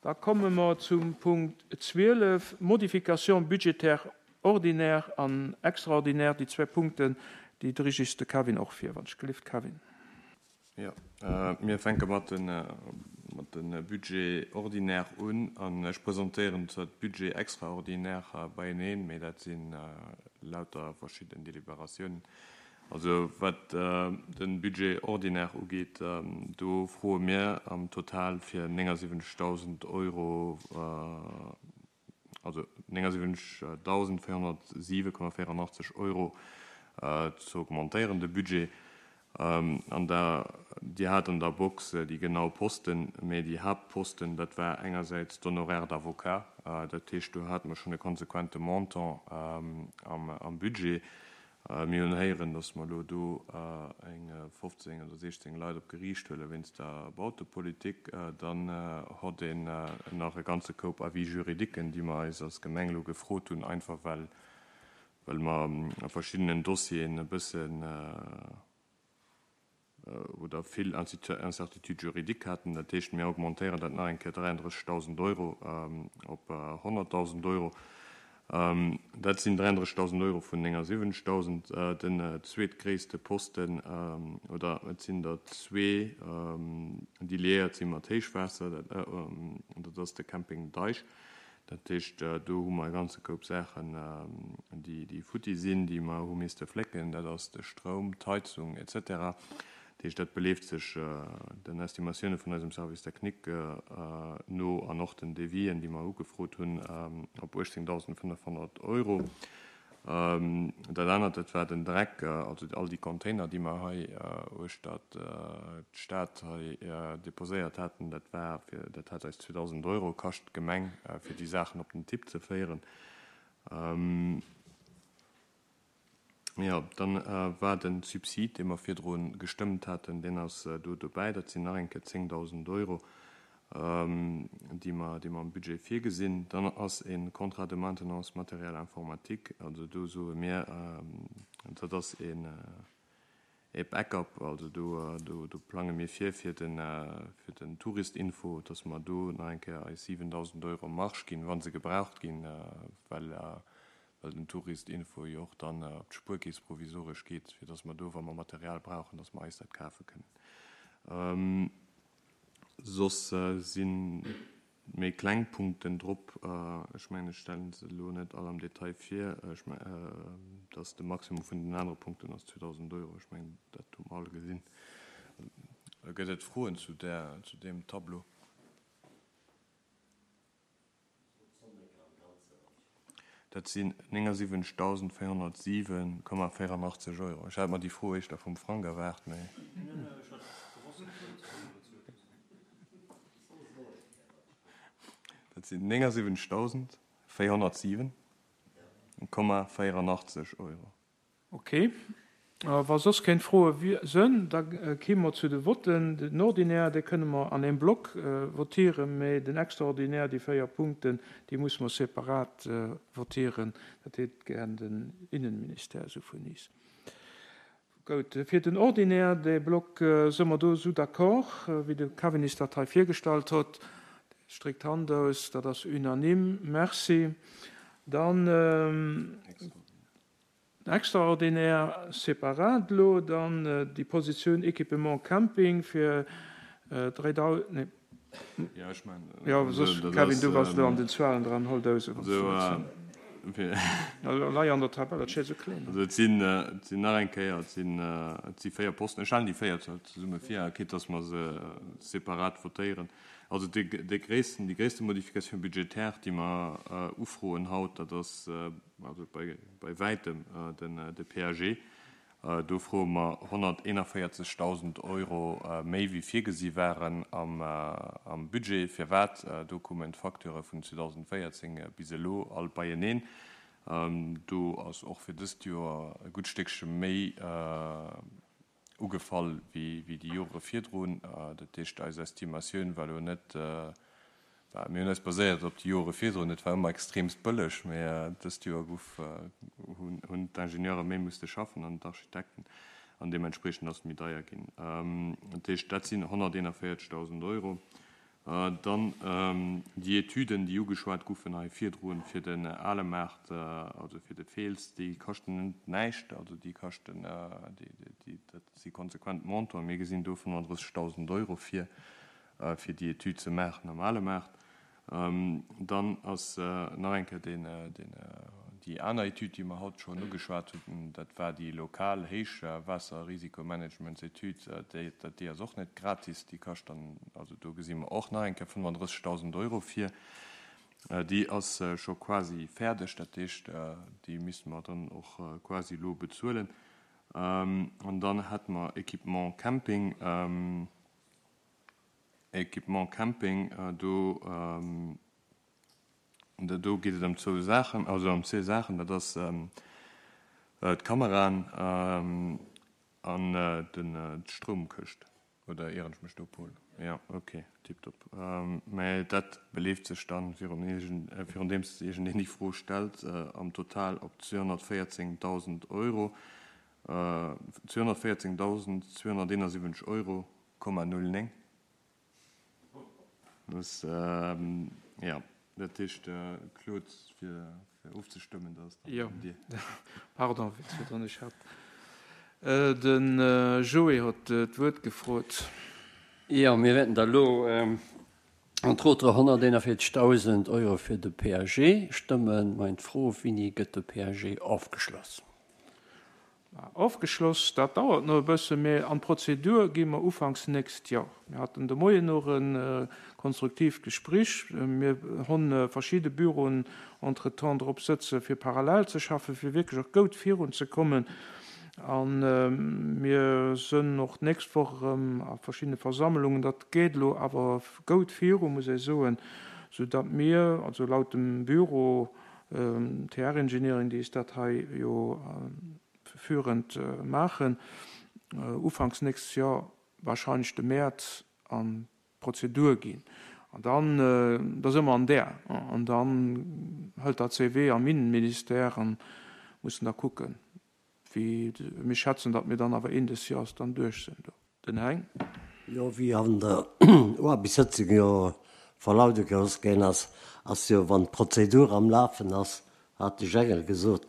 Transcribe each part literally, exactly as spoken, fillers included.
Da komme mer zum Punkt zwielef, Modification budgétaire ordinaire an extraordinaire, déi zwee Punkten, déi dréit de Kevin och vir. Wann ech gelift, Kevin. Ja, äh, mir fänke mat den, äh, mat den Budget ordinaire un an ech presentéieren zwar Budget extraordinaire äh, beieneen, mee dat sinn äh, lauter verschidden Deliberatiounen. Also wat äh, den Budget ordinaire ugeet, ähm, do froe mir am Total fir néngasiwwenzegdausend Euro äh, also néngasiwwenzegdausendvéierhonnertsiwe Komma véieranachtzeg Euro äh, ze augmentéieren de Budget. Ähm, an da Dir hat an der Box äh, déi genau Posten, mee déi Haaptposten, dat war engersäits d'Honoraires d'avocat, äh, dat heescht, do hate mer schonn e konsequente Montant ähm, am, am Budget. Äh, mir hunn héieren, dass mer elo do äh, eng fofzéng oder siechzéng Leit op Geriicht huele wéinst der Bautepolitik. Äh, dann äh, huet een äh, nach e ganze Koup Avis juridiquen, déi mer eis als Gemeng elo gefrot hunn, einfach well, well mer a verschiddenen Dossieren e bëssen äh, oder vill Incertitude juridique haten. Dat heescht, mir augmentéieren dat nach eng Kéier dräianddrëssegdausend Euro ähm, op äh, honnertdausend Euro. Ähm, dat sinn dräianddrëssegdausend Euro vun néngasiwwenzegdausend. Äh, den äh, zweetgréisste Posten ähm, oder et sinn der zwee, ähm, déi liéiert si mat Héichwaasser, dat, äh, ähm, dat ass de Camping Deich. Dat heescht, äh, do hu mer e ganze Koup Saachen, ähm, déi, déi futti sinn, déi mer hu misste flécken. Dat ass de Stroum, d'Heizung et cetera. Dat heescht, dat beleeft sech äh, den Estimatioune vun eisem Service technique äh, no an och den Devis'en, déi mer ugefrot hunn, ähm, op uechtzéngdausendfënnefhonnert Euro. Ähm, dat anert, dat war den Dreck, äh, also all déi Container, déi mer hei äh, uechter äh, d'Stad hei äh, deposéiert haten, dat war fir, dat hat eis zweedausend Euro kascht d'Gemeng, äh, fir déi Saachen op den Tipp ze féieren. Ähm, ja, dann äh, war den Subsid, dee mer virdru gestëmmt haten, deen ass äh, do dobäi, dat sinn nach eng Kéier zéngdausend Euro, ähm, déi mer, déi mer am Budget virgesinn. Dann ass e Contrat de maintenance matériel informatique, also do soe mir, ähm, dat ass en äh, e Backup, also do, äh, do, do plange mir vir fir den, äh, fir den Touristinfo, dass mer do nach eng Kéier eis siwendausend Euro Marge ginn, wa se gebraucht ginn, äh, well, äh, well den Touristinfo jo och dann äh, op d'Spuerkeess provisoresch geet, fir dass mer do, wa mer Material brauchen, dass mer eis dat kafe kënnen. Ähm, soss äh, si méi kleng Punkten drop, äh, ech mengen, ech stelle se elo net all am Detail vir, ech mengen, äh, dass de Maximum vun den anere Punkten ass zweedausend Euro, ech mengen, dat hu mer all gesinn. Gëtt et Froen zu der, zu deem Tableau? Dat sinn néngasiwwenzegdausendvéierhonnertsiwe Komma véieranachtzeg Euro. Ech hat mer déi Fro éischter vum Frank erwaart, mee. Dat sinn néngasiwwenzegdausendvéierhonnertsiwe Komma véieranachtzeg Euro. Okay. Wa soss keng Froe sinn, da komme mer zu de Votten. Den Ordinaire, dee kënne mer an engem Block votieren, mee den Extraordinaire, déi véier Punkten, déi musse mer separat votieren. Dat hätt gären den Innenministère esou vun is. Gutt, fir den Ordinaire, dee Block, si mer do esou d'accord, wéi de Kevin is dat hei virgestallt huet? Streckt d'Hand aus, dat ass unanime. Merci. Dann Extraordinaire separat elo, dann déi Positioun Équipement Camping fir dräidausend, nee. Jo, ech mengen, Jo, soss, Kevin, du bass elo an den Zuelen dran, hol dou se, wann s du wëlls. Lei an der Tabell, dat steet esou kleen. Also et sinn, et sinn nach eng Kéier, et sinn, et si véier Posten. Ech stellen déi véier zesumme vir, quitte dass mer se separat votéieren. Also dee, dee gréissten, déi gréisste Modification budgétaire, déi mer ufroen haut, dat ass also bei, bei wäitem den, de P A G. Do froe mer honnerteenavéierzegdausend Euro méi wéi virgesi waren am, am Budget. Firwat? Do kommen d'Facturë vun zweedausendvéierzéng bis elo all beieneen. Do ass och fir dëst Joer e gutt Stéckche méi ugefall wéi, wéi déi Jore virdrun. Dat heescht, eis Estimatioun war elo net, well mir hunn eis baséiert op déi Jore virdrun, et war ëmmer extremst bëlleg, mee dëst Joer gouf, hunn, hunn d'Ingenieure méi musste schaffen an d'Architekten an deementspriechend ass et méi deier ginn. Dat heescht, dat sinn honnerteenavéierzegdausend Euro. Dann déi Etüden, déi ugeschwat goufen hei virdrun fir den ale Maart, also fir de Fiels, déi kaschten net näischt, also déi kaschten, déi, dat si konsequent Montanten. Mir gesinn do fënnefandrëssegdausend Euro vir, fir déi Etüd ze maachen am ale Maart. Dann ass nach eng Kéier deen, deen, déi aner Etüd, déi mer haut schonn ugeschwat hunn, dat war déi lokal Héichwaasserrisikomanagementsetüd. Déi, déi ass och net gratis, déi kascht dann, also do gesi mer och nach eng Kéier fënnefandrëssegdausend Euro vir. Déi ass scho quasi fäerdeg, dat heescht, déi misste mer dann och quasi elo bezuelen. An dann hätte mer Équipement Camping. Équipement Camping, do, do geet et ëm zwou Saachen, also ëm zwee Saachen, dat ass d'Kameraen an den d'Stroumkëscht. Oder ieren ech mech do, Paul? Jo, okay, tiptop. Mä dat beleeft sech dann, virun virun deems iergendeen déi Fro stellt, am Total op zweehonnertvéierzéngdausend Euro, zweehonnertvéierzéngdausendzweehonnerteenasiwwenzeg Euro Komma null néng. Muss, jo, dat heescht, Claude, fir ofzestëmmen, dat ass dann un dir. Jo, pardon, wéi virdrun, ech hat de Joé huet d'Wuert gefrot. Jo, mir wäerten da elo entre autres honnerteenavierzegdausend Euro fir de P A G stëmmen. Meng Fro, Wéini gëtt de P A G ofgeschloss? Ofgeschloss, dat dauert nach e bëssen, mä an d'Prozedur gi mer ufanks nächst Joer. Mir haten de Moien och e konstruktiivt Gespréich. Mir hunn verschidde Büroen entretemps drop sëtze fir parallel ze schaffen, fir wierklech och goud virunzekommen. A mir sënn och d'nächst Woch erëm a verschiddene Versammlungen. Dat geet elo awer goud viru, muss ech soen, soudatt mir, also laut dem Büro T R Engineering, déi is dat hei jo führend maachen, ufanks nächstes Joer, wahrscheinlech de Mäerz, an d'Prozedur ginn. An dann, da si mer an där. An dann hëlt dat säi Wee am Innenministère an mussen da kucken, wéi mir schätzen, datt mir dann awer Enn des Jahres dann duerch sinn do. Den Heng. Jo, wéi an der Uarbechtssëtzung jo verlaude gelooss ginn ass, ass jo, wann d'Prozedur am Lafen ass, hat de Jengel gesot,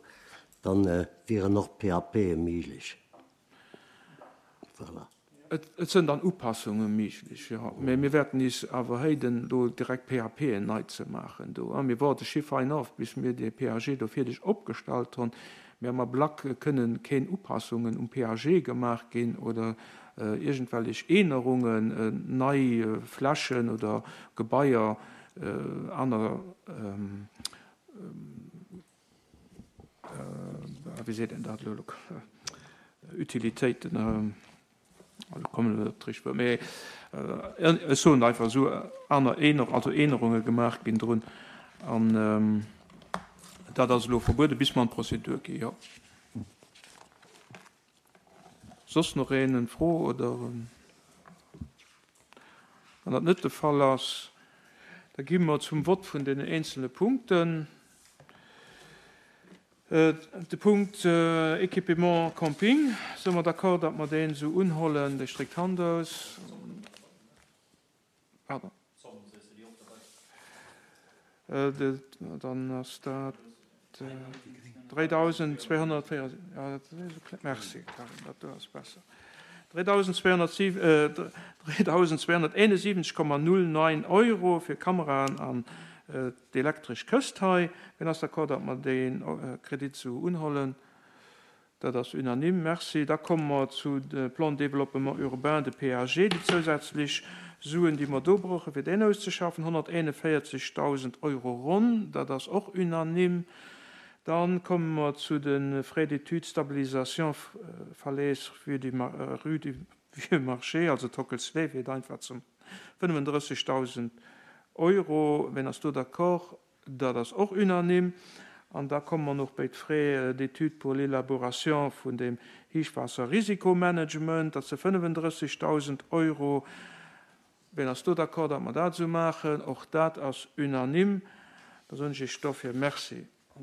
dann wieren och P A P méiglech. Voilà. Et sënn dann Upassunge méiglech, jo. Mä mir wäerten is awer héiden, do direkt P A P en nei ze maachen do. Mir woarde schi fein of, bis mir dee P A G do fierdeg opgestallt hunn. Mä am Ablack kënnen keen Upassungen um P A G gemaach ginn oder iergendwellech Ännerungen, nei Flächen oder Gebaier, aner, wéi seet een dat elo, Utilitéiten, elo kommen ech net op d'richteg Wuert, mee ech soen einfach esou, aner Änner, also Ännerunge gemaach ginn drun. An dat ass elo verbueden, bis mer an d'Prozedur ginn, jo. Soss nach een eng Fro oder? Wann dat net de Fall ass, da gi mer zum Vott vun den eenzelne Punkten. De Punkt Équipement Camping, si mer d'accord, datt mer deen esou unhollen? Dir streckt d'Hand aus. Pardon. Dann ass dat dräidausendzweehonnertvéierundsiwwenzeg, ja, dat ass esou kleng. Merci, Karin, dat do ass besser. dräidausendzweehonnerteenesiwwenzeg Komma null neun Euro fir Kameraen an d'elektresch Këscht hei. Wien ass d'accord, datt mer dee Kredit esou unhollen? Dat ass unanime. Merci. Da komme mer zu de Plan de développement urbain, de P A G, déi zousätzlech Suen, déi mer do brauchen, fir deen auszeschaffen, honnerteenevierzeghtausend Euro ronn. Dat ass och unanime. Dann komme mer zu de Frais d'études stabilisation falaise rue du, rue du Vieux Marché, also Tockelslee, fir et einfach zum fënnefendrëssigtausend Euro. Wien ass do d'accord? Dat ass och unanime. An da komme mer noch bei d'Frais d'études pour l'élaboration vun dem Héichwaasserrisikomanagement, dat si fënnefendrëssigtausend Euro. Wien ass do d'accord, datt mer dat esou maachen? Och dat ass unanime. Da soen ech Iech dofir Merci.